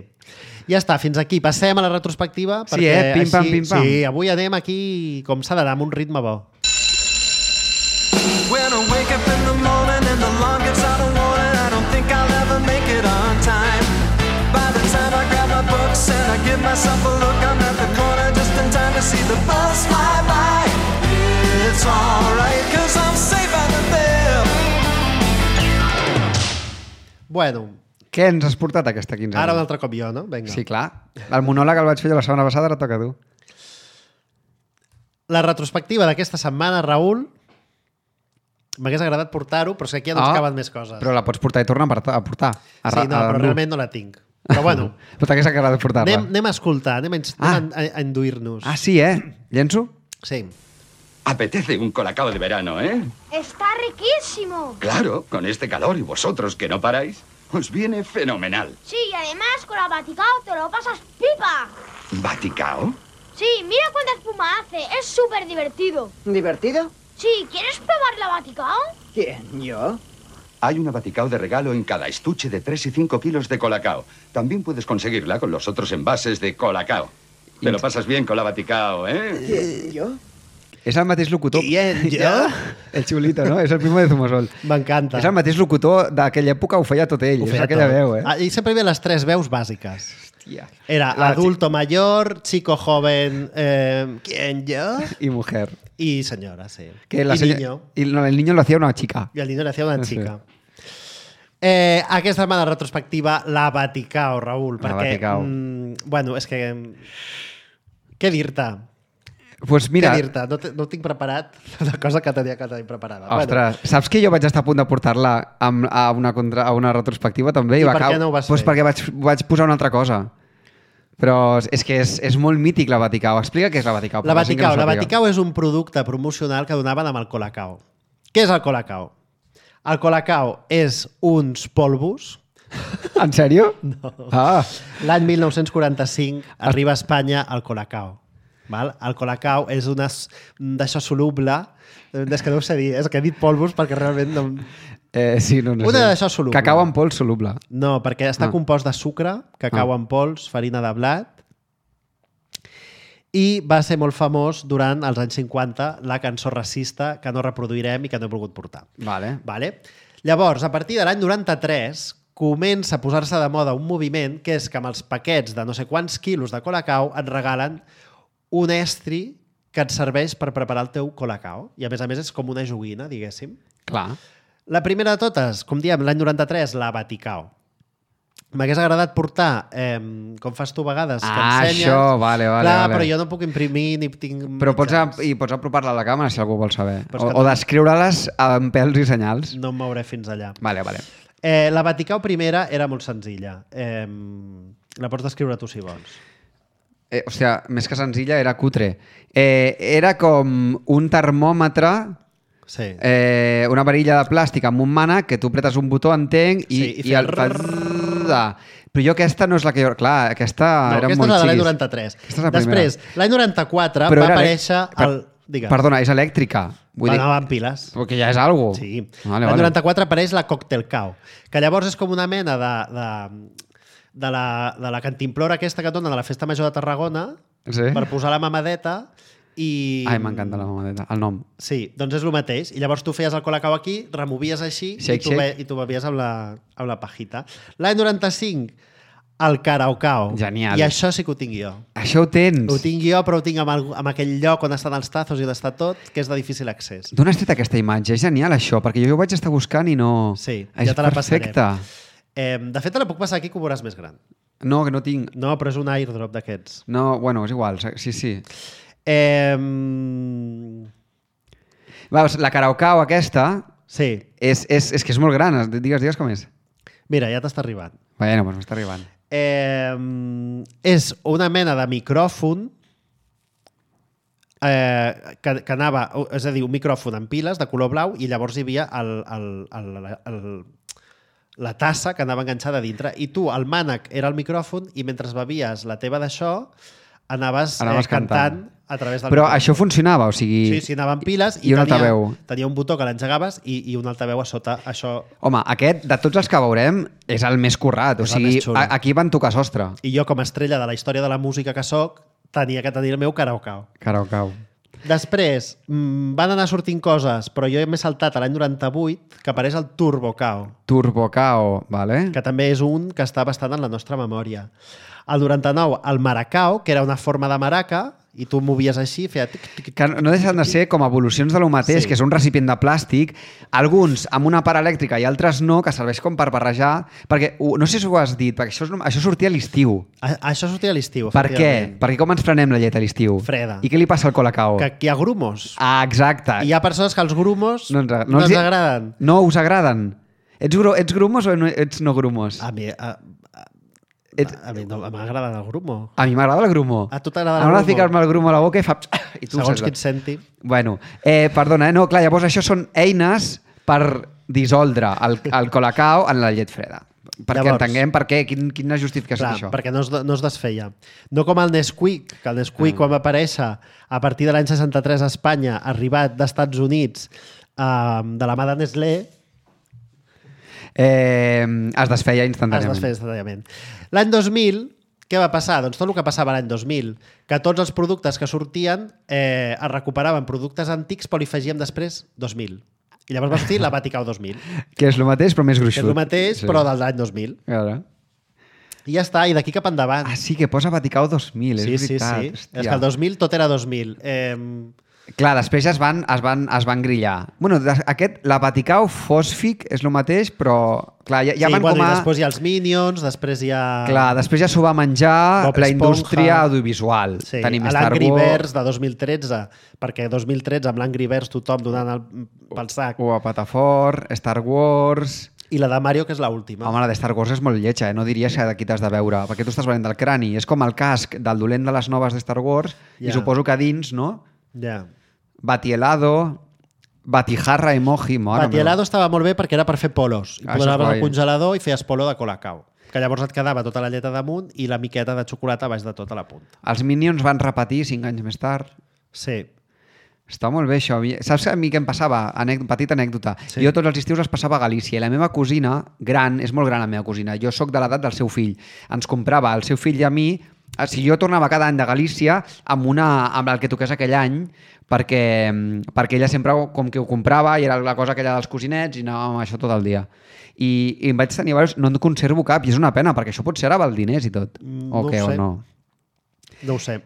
Ja està, fins aquí. Passem a la retrospectiva. Sí, perquè eh? Pim, pam, així- pim, pam. Sí, avui anem aquí com s'ha d'anar, amb un ritme bo. When I wake up in the morning and the alarm gives out a warning, I don't think I'll ever make it on time. By the time I grab my books and I give myself a look, I'm at the corner just in time to see the bus fly by. It's alright, cause I'm safe out of there. Bueno, Què ens has portat aquesta quinzena? ara un altre cop jo, no? Vinga. Sí, clar. El monòleg el vaig fer jo la setmana passada, ara toca a tu. La retrospectiva d'aquesta setmana, Raül, m'hagués agradat portar-ho, però és que aquí ja no ens Ah, caben més coses. Però la pots portar i tornar a portar. A portar a, Sí, no, a, però realment no la tinc. Però bueno, Però t'hagués agradat portar-la. anem, anem a escoltar, anem a, ins- Ah. anem a, a induir-nos. Ah, sí, eh? Llenço? Sí. Apetece un colacao de verano, ¿eh? Está riquísimo. Claro, con este calor y vosotros que no paráis, os viene fenomenal. Sí, y además con la Vaticao te lo pasas pipa. ¿Vaticao? Sí, mira cuánta espuma hace. Es súper divertido. ¿Divertido? Sí, ¿quieres probar la Vaticao? ¿Quién, yo? Hay una Vaticao de regalo en cada estuche de tres y cinco kilos de Colacao. También puedes conseguirla con los otros envases de Colacao. Te lo pasas bien con la Vaticao, ¿eh? ¿Quién, yo? És el mateix locutor... Quién, jo? El Chulito, no? És el primo de Zumosol. M'encanta. És el mateix locutor d'aquella època, ho feia tot ell. Ho És feia aquella tot. veu, eh? Ah, I sempre hi havia les tres veus bàsiques. Hòstia. Era La adulto mayor, chico joven, eh, ¿quién, yo? I mujer. Y señora, sí. Que la y senya- niño. I no, el niño lo hacía una chica. I el niño le hacía una Sí. chica. Eh, aquesta setmana retrospectiva, la Vaticao, Raül. La Perquè, Vaticao. mm, bueno, és que... Què dir-te? Pues mira, Què dir-te? No, te- no tinc preparat la cosa que tenia que tenir preparada. ostres, saps que jo vaig estar a punt de portar-la amb- a, una contra, a una retrospectiva també? I va per cau- què no ho vas pues fer? perquè vaig, vaig posar una altra cosa. Però és que és, és molt mític la Vaticao. Explica què és la Vaticao. La per gent que Vaticao. no La sàpiga. Vaticao és un producte promocional que donaven amb el Colacao. Què és el Colacao? El Colacao és uns polvos. En sèrio? No. Ah, L'any mil nou-cents quaranta-cinc arriba a Espanya el Colacao. Val? El Colacao és una s- d'això soluble. És que no ho sé dir, és que he dit polvos perquè realment no... eh, sí, no, no Una sé. d'això soluble. Cacau en pols soluble. No, perquè està Ah. compost de sucre, cacau Ah. en pols, farina de blat, i va ser molt famós durant els anys cinquanta la cançó racista que no reproduirem i que no he volgut portar. Vale. Vale? Llavors, a partir de l'any noranta-tres, comença a posar-se de moda un moviment que és que amb els paquets de no sé quants quilos de Colacao et regalen un estri que et serveix per preparar el teu Colacao. I a més a més és com una joguina, diguéssim. Clar. La primera de totes, com diem, l'any noranta-tres, la Vaticao. M'hagués agradat portar, eh, com fas tu a vegades, que Ah, ensenyes... això, vale, vale, Clar, vale. però jo no puc imprimir ni tinc... Però pots, a, mitjans. i pots apropar-la a la càmera si algú vol saber. Però és O, que o no- descriure-les amb pèls i senyals. No em mouré fins allà. Vale, vale. Eh, la Vaticao primera era molt senzilla. Eh, la pots descriure tu si vols. Eh, o sigui, més que senzilla, era cutre. Eh, era com un termòmetre, Sí. eh, una varilla de plàstic amb un mànec que tu pretes un botó, entenc, i, Sí, i i feia el fa... Però jo aquesta no és la que jo... Clar, aquesta No, era aquesta molt és la de l'any xiquis. noranta-tres. Aquesta és la primera. Després, l'any noranta-quatre Però va era elec- aparèixer Per- el... Digues. Perdona, és elèctrica. Vull Va dir, anar amb piles. perquè ja és algo. Sí. Vale, L'any vale. noranta-quatre apareix la Cocktailcao, que llavors és com una mena de, de, de, la, de la cantimplora aquesta que et donen a la Festa Major de Tarragona Sí? per posar la mamadeta i... Ai, m'encanta la mamadeta, el nom. Sí, doncs és el mateix. I llavors tu feies el Colacao aquí, removies així Shake, i, tu shake. be, i tu bevies amb la, amb la pajita. L'any noranta-cinc, el Caraocao. Genial. I això sí que ho tinc jo. Això ho tens? Ho tinc jo, però ho tinc amb, el, amb aquell lloc on estan els tazos i on està tot, que és de difícil accés. D'on has tret aquesta imatge? És genial, això, perquè jo ho vaig estar buscant i no... Sí, és ja te la passaré. perfecte. Eh, de fet, te la puc passar aquí que ho veuràs més gran. No, que no tinc. No, però és un airdrop d'aquests. No, bueno, és igual, sí, sí. Eh, Veus, la Caraocao aquesta sí, és, és, és que és molt gran. Digues, digues com és. mira, ja t'està arribant. Bueno, doncs m'està arribant. Eh, és una mena de micròfon eh, que, que anava, és a dir, un micròfon amb piles de color blau i llavors hi havia el, el, el, el, la tassa que anava enganxada a dintre i tu, el mànec era el micròfon i mentre bevies la teva d'això anaves, Anaves eh, cantant, cantant. a través del Però micròfon. això funcionava, o sigui... Sí, sí, anaven piles I un tenia, altaveu. tenia un botó que l'engegaves i, i un altaveu a sota. Això... Home, aquest, de tots els que veurem, és el més currat. O És el sigui, més xulo. a, aquí van tocar sostre. I jo, com a estrella de la història de la música que sóc, tenia que tenir el meu Caraocao. Caraocao. Després, mmm, van anar sortint coses, però jo m'he saltat a l'any noranta-vuit, que apareix el Turbocao, Turbocao, vale? que també és un que està bastant en la nostra memòria. Al noranta-nou, el Maracao, que era una forma de maraca, i tu movies així, feia... Tic, tic, tic, Que no deixen de ser com evolucions de lo mateix, Sí. que és un recipient de plàstic, alguns amb una part elèctrica i altres no, que serveix com per barrejar, perquè, uh, no sé si ho has dit, perquè això, és, això sortia a l'estiu. A, això sortia a l'estiu, Per què? efectivament. Perquè com ens prenem la llet a l'estiu? Freda. I què li passa al Colacao? Que aquí hi ha grumos. Ah, exacte. I hi ha persones que els grumos No ens, agra- no els- ens agraden. No us agraden. Ets, gru ets grumos o no, ets no grumos? A mi, a, a, Ets... a mi no m'agrada el grumo. A mi m'agrada el grumo. A tu t'agrada el M'agrada grumo? ficar-me el grumo a la boca i fa... I tu ho Segons saps. qui et senti. Bueno, eh, perdona, eh? No, clar, llavors això són eines per dissoldre el, el Colacao en la llet freda. perquè Llavors, entenguem per què, quin, quina justificació clar, és això. perquè no es, no es desfeia. No com el Nesquik, que el Nesquik Ah. quan va aparèixer a partir de l'any seixanta-tres a Espanya, arribat d'Estats Units eh, de la mà de Nestlé, Eh, es desfeia es instantàniament. desfeia instantàniament. L'any dos mil, què va passar? Doncs tot el que passava l'any dos mil, que tots els productes que sortien eh, es recuperaven productes antics, però li afegíem després dos mil. I llavors va sortir la Vaticau dos mil, Que és el mateix, però més que gruixut. és el mateix, però de l'any dos mil. Claro. I ja està, i d'aquí cap endavant. Ah, sí, que posa Vaticau dos mil, sí, és sí, veritat. sí. Hòstia. És que el dos mil tot era dos mil. Eh, Clar, després ja es van, es van, es van grillar. Bueno, des- aquest, la Vaticau Fosfic és el mateix, però clar, ja, ja sí, van bueno, com a... i després hi ha els Minions, després hi ha... Clar, després ja s'ho va menjar Bob la Esponja. indústria audiovisual. Sí, Tenim a Star l'Angry Wars... Birds de dos mil tretze, perquè dos mil tretze amb l'Angry Birds tothom donant el, pel sac. O a Patafort, Star Wars... I la de Mario, que és l'última. Home, la de Star Wars és molt lletja, eh? No diries que de qui t'has de veure, perquè tu estàs venent del crani. És com el casc del dolent de les noves de Star Wars, Ja. i suposo que dins, no? Ja. Batielado, Batijarra emoji... Mare Batielado estava molt bé perquè era per fer polos. I Ah, això és posaves guai. al congelador i feies polo de Colacao. Que llavors et quedava tota la lleta damunt i la miqueta de xocolata baix de tota la punta. Els Minions van repetir cinc anys més tard. Sí. Està molt bé això. Saps a mi què em passava? Anèc petita anècdota. Sí. Jo tots els estius els passava a Galícia i la meva cosina, gran, és molt gran la meva cosina, jo sóc de l'edat del seu fill, ens comprava el seu fill i a mi, si jo tornava cada any de Galícia amb, una, amb el que toqués aquell any, perquè, perquè ella sempre com que ho comprava i era la cosa aquella dels cosinets i anàvem amb això tot el dia. I, i em vaig tenir, no en conservo cap i és una pena, perquè això potser ara val diners i tot. Mm, o no què, ho o sé. no? No ho sé.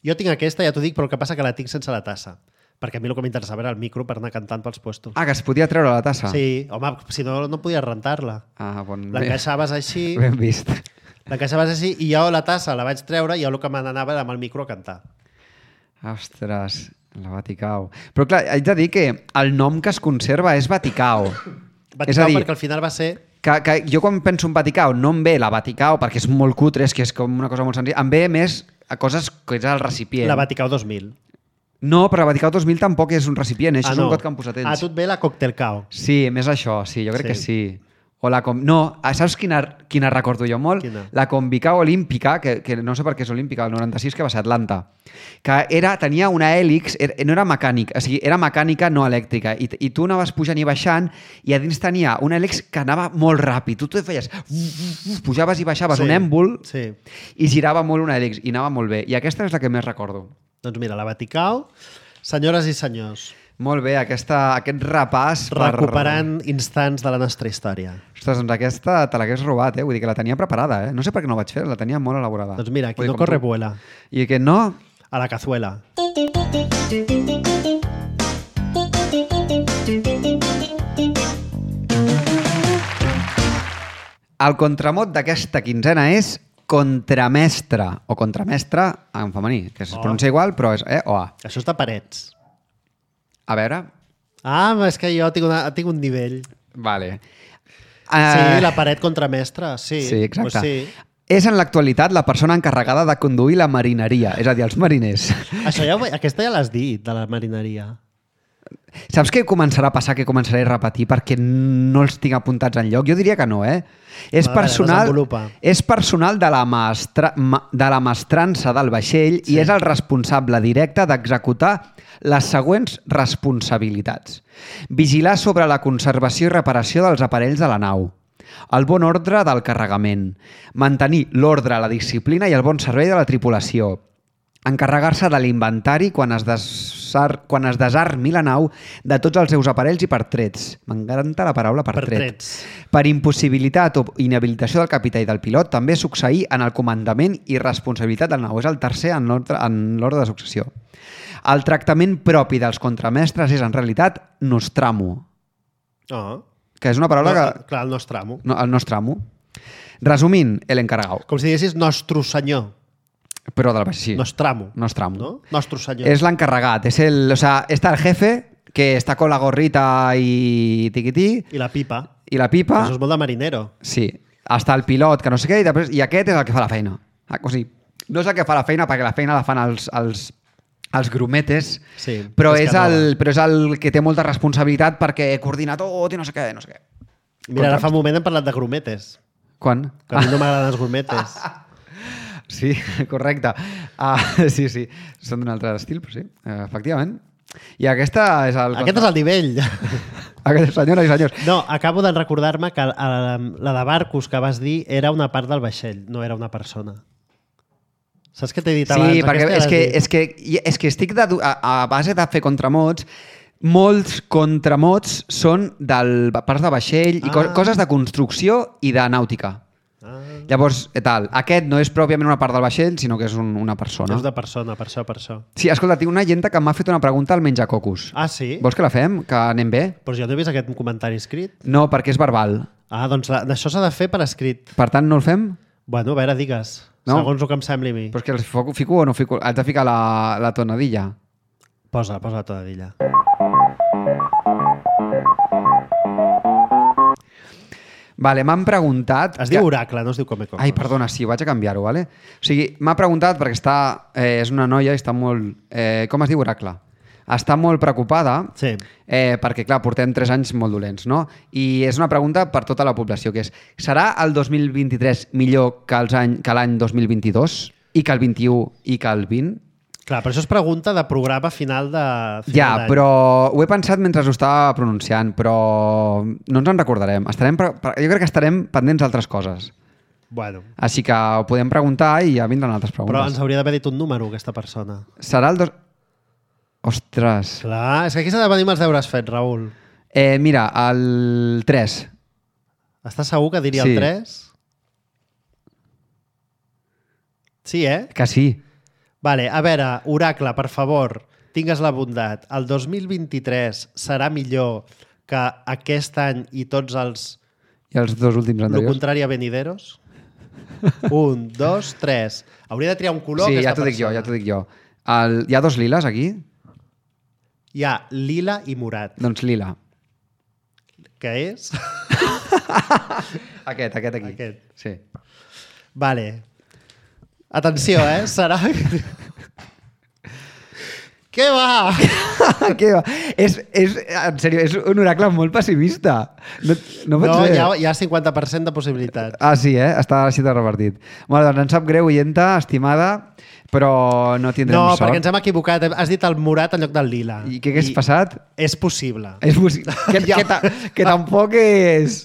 Jo tinc aquesta, ja t'ho dic, però el que passa que la tinc sense la tassa. Perquè a mi el que m'interessava era el micro per anar cantant pels puestos. Ah, que es podia treure la tassa? Sí, home, si no, no podies rentar-la. Ah, bon, L'encaixaves així, ben vist. l'encaixaves així i jo la tassa la vaig treure i jo el que me n'anava era amb el micro a cantar. Ostres, la Vaticau. Però clar, haig de dir que el nom que es conserva és Vaticau. Vaticau és a dir, perquè al final va ser... que, que jo quan penso en Vaticau no em ve la Vaticau perquè és molt cutre, és que és com una cosa molt senzilla, em ve més a coses que és el recipient. La Vaticau dos mil. No, però la Vaticau dos mil tampoc és un recipient, això Ah, és no. un got que han posat ells. A tu et ve la Cocktailcao. Sí, més això, sí, jo crec Sí. que sí. O la com... No, saps quina, quina recordo jo molt? Quina? La Convicao Olímpica, que, que no sé per què és olímpica, el noranta-sis que va ser a Atlanta, que era, tenia una hèlix, era, no era mecànic, o sigui, era mecànica no elèctrica, i, i tu anaves pujant i baixant, i a dins tenia una hèlix que anava molt ràpid, tu te feies, pujaves i baixaves Sí, un èmbol, sí. i girava molt una hèlix, i anava molt bé. I aquesta és la que més recordo. Doncs mira, la Vaticau, senyores i senyors, Molt bé, aquesta, aquest repàs per... recuperant instants de la nostra història. Ostres, doncs aquesta te l'hagués robat, eh? Vull dir que la tenia preparada, eh? No sé per què no ho vaig fer, la tenia molt elaborada. Doncs mira, aquí Vull dir, no com corre tu. vuela. I que no... A la cazuela. El contramot d'aquesta quinzena és contramestre, o contramestre en femení, que es Oh. pronuncia igual, però és E o A. Això està parets. A veure... Ah, és que jo tinc, una, tinc un nivell. Vale. Sí, Eh, la paret contramestra, sí. Sí, exacte. Pues sí. És en l'actualitat la persona encarregada de conduir la marineria, és a dir, els mariners. Això ja, ho- aquesta ja l'has dit, de la marineria. Saps què començarà a passar, que començaré a repetir perquè no els tinc apuntats en lloc? Jo diria que no, eh? És A veure, personal, desenvolupa. és personal de la, maestra, ma, de la mestrança del vaixell sí. i és el responsable directe d'executar les següents responsabilitats. Vigilar sobre la conservació i reparació dels aparells de la nau, el bon ordre del carregament, mantenir l'ordre, la disciplina i el bon servei de la tripulació, encarregar-se de l'inventari quan es desar, quan es desarmi la nau de tots els seus aparells i pertrets. M'encanta la paraula pertret. Pertrets. Per impossibilitat o inhabilitació del capità i del pilot, també succeir en el comandament i responsabilitat del nau. És el tercer en l'ordre en l'ordre de successió. El tractament propi dels contramestres és, en realitat, nostramo, Oh. que és una paraula No, que... clar, el nostre amo. No, el nostramo. Resumint, el encarregau. Com si diguessis nostre senyor. Però del vaixell. Nostramo. Nostramo. ¿No? Nostre senyor. Es l'encarregat, es el, o sea, está el jefe que está con la gorrita y tiquití I la pipa. i la pipa, Això és molt de marinero. sí, està el pilot que no sé què i, després, i aquest és el que fa la feina. Ah, o sigui, no és el que fa la feina perquè la feina la fan els, els, els grumetes, Sí, però, és és que no el, va. però és el que té molta responsabilitat perquè coordina tot i no sé què, no sé què. Mira, ara fa un moment hem parlat de grumetes. Quan? Que a mi no m'agraden els gourmetes. Sí, correcte. Uh, sí, sí, són d'un altre estil, però sí, uh, efectivament. I aquesta és el... Aquest és el nivell. Aquest, senyores i senyors. No, acabo de recordar-me que la, la de barcos que vas dir era una part del vaixell, no era una persona. Saps què t'he dit abans? Sí, perquè és que, és, que, és que estic de, a, a base de fer contramots. Molts contramots són del parts de vaixell i ah. coses de construcció i de nàutica. Ah. Llavors, tal, aquest no és pròpiament una part del vaixell, sinó que és un, una persona. És de persona, per això, per això. Sí, escolta, tinc una agenta que m'ha fet una pregunta al menjacocos. Ah, sí? Vols que la fem? Que anem bé? Però jo no he vist aquest comentari escrit. No, perquè és verbal. Ah, doncs això s'ha de fer per escrit. Per tant, no el fem? Bueno, a veure, digues. No? Segons el que em sembli a mi. Però és que el fico o no fico? Haig de ficar la, la tonadilla. Posa, posa la tonadilla. Vale, m'han preguntat... Es diu oracle, no es diu come-cocos. Ai, perdona, sí, vaig a canviar-ho, vale? O sigui, m'ha preguntat perquè està... Eh, és una noia i està molt... Eh, com es diu oracle? Està molt preocupada sí. eh, perquè, clar, portem tres anys molt dolents, no? I és una pregunta per tota la població, que és serà el dos mil vint-i-tres millor que els any, que l'any dos mil vint-i-dos i que el vint-i-u i que el vint? Clar, però això és pregunta de programa final de final ja, d'any. Però ho he pensat mentre ho estava pronunciant, però no ens en recordarem. Estarem, jo crec que estarem pendents d'altres coses. Bueno. Així que ho podem preguntar i ja vindran altres preguntes. Però ens hauria d'haver dit un número, aquesta persona. Serà el dos... Ostres. Clar, és que aquí s'ha de venir amb els deures fets, Raül. Eh, mira, el tres. Estàs segur que diria sí. el tres? Sí, eh? Que sí. Vale, a veure, oracle, per favor, tingues la bondat. El dos mil vint-i-tres serà millor que aquest any i tots els... I els dos últims anteriors. Lo contrari a venideros? Un, dos, tres. Hauria de triar un color. Sí, ja t'ho dic jo, ja t'ho dic jo. El... Hi ha dos liles aquí? Hi ha lila i morat. Doncs lila. Què és? Aquest, aquest aquí. Aquest. Sí. Vale. Atenció, eh? Serà... Què va? Què va? És, és, en sèrio, és un oracle molt pessimista. No, no, no hi ha, hi ha cinquanta per cent de possibilitats. Ah, sí, eh? Està així de repartit. Bueno, doncs em sap greu, oienta, estimada, però no tindrem no, sort. No, perquè ens hem equivocat. Has dit el morat en lloc del lila. I què hagués passat? És possible. És possible. Que, ja. que, ta, que tampoc és...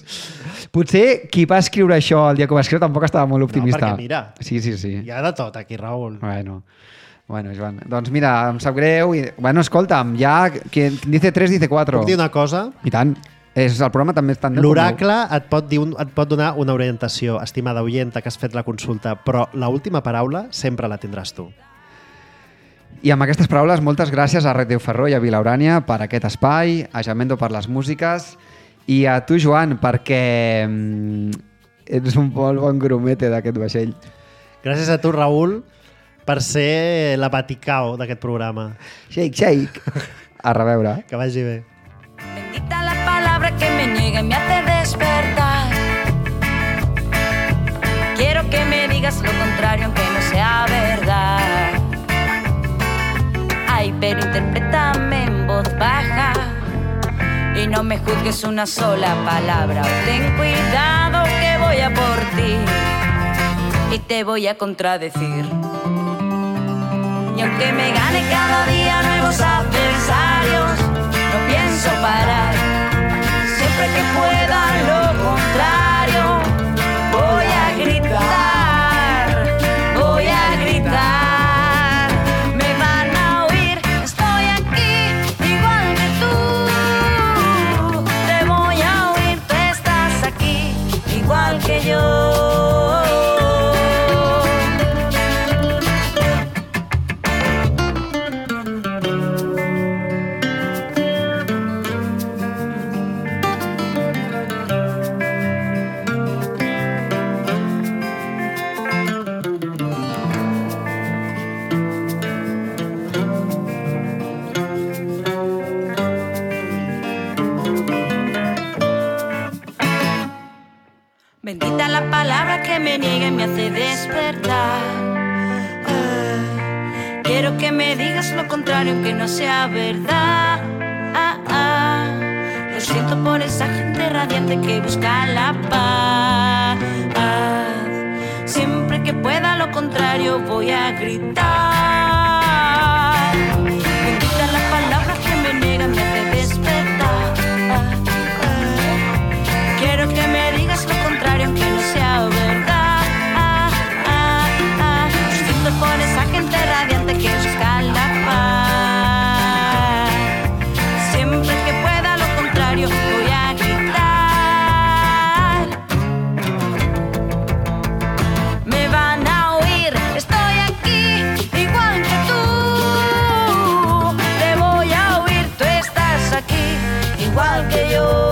Potser qui va escriure això el dia que ho va escriure tampoc estava molt optimista. No, perquè mira, sí, sí, sí. hi ha de tot aquí, Raül. Bueno, bueno, Joan. Doncs mira, em sap greu. I... Bueno, escolta'm, ja... Quien dice tres, dice cuatro. Puc dir una cosa? I tant. És, el programa també és tan... L'oracle et, pot dir un, et pot donar una orientació, estimada oienta, que has fet la consulta, però l'última paraula sempre la tindràs tu. I amb aquestes paraules, moltes gràcies a Ràdio Ferró i a Vilaurània per aquest espai, a Jamendo per les músiques i a tu, Joan, perquè ets un molt bon grumete d'aquest vaixell. Gràcies a tu, Raül, per ser la Vaticao d'aquest programa. Shake, shake. A reveure. Que vagi bé. Bendita la palabra que me niega y me hace despertar. Quiero que me digas lo contrario aunque no sea verdad. Ay, pero interprétame en voz baja y no me juzgues una sola palabra. Ten cuidado que voy a por ti y te voy a contradecir. Y aunque me gane cada día nuevos adversarios, no pienso parar. Siempre que pueda lo contrario, voy a gritar, voy a gritar. Me van a oír, estoy aquí, igual que tú. Te voy a oír, tú estás aquí, igual que yo. Bendita la palabra que me niega y me hace despertar. Ah, quiero que me digas lo contrario aunque no sea verdad. Ah, ah, lo siento por esa gente radiante que busca la paz. Ah, contrario voy a gritar. Bendita la palabra que me niega, me hace despertar. Quiero que me digas lo contrario, aunque no sea verdad. Siento por esa gente radiante que busca la paz. Siempre que pueda lo contrario voy a gritar. Me van a oír, estoy aquí, igual que tú. Te voy a oír, tú estás aquí, igual que yo.